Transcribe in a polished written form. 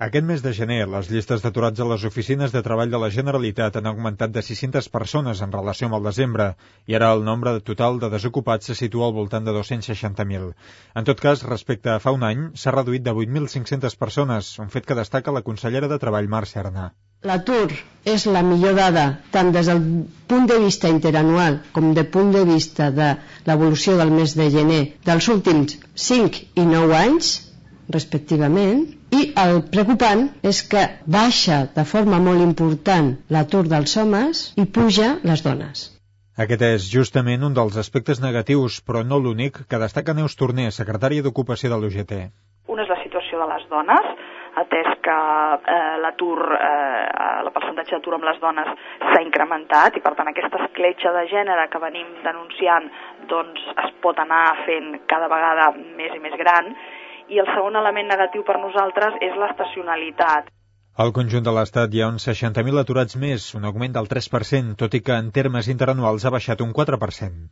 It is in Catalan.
Aquest mes de gener, les llistes d'aturats a les oficines de treball de la Generalitat han augmentat de 600 persones en relació amb el desembre i ara el nombre total de desocupats se situa al voltant de 260.000. En tot cas, respecte a fa un any, s'ha reduït de 8.500 persones, un fet que destaca la consellera de Treball, Mercè Arnà. L'atur és la millor dada, tant des del punt de vista interanual com del punt de vista de l'evolució del mes de gener dels últims 5 i 9 anys, respectivament, i el preocupant és que baixa de forma molt important l'atur dels homes i puja les dones. Aquest és justament un dels aspectes negatius, però no l'únic, que destaca Neus Torner, secretària d'Ocupació de l'UGT. Una és la situació de les dones, atès que el percentatge d'atur amb les dones s'ha incrementat i per tant aquesta escletxa de gènere que venim denunciant doncs es pot anar fent cada vegada més i més gran. I el segon element negatiu per nosaltres és l'estacionalitat. Al conjunt de l'Estat hi ha uns 60.000 aturats més, un augment del 3%, tot i que en termes interanuals ha baixat un 4%.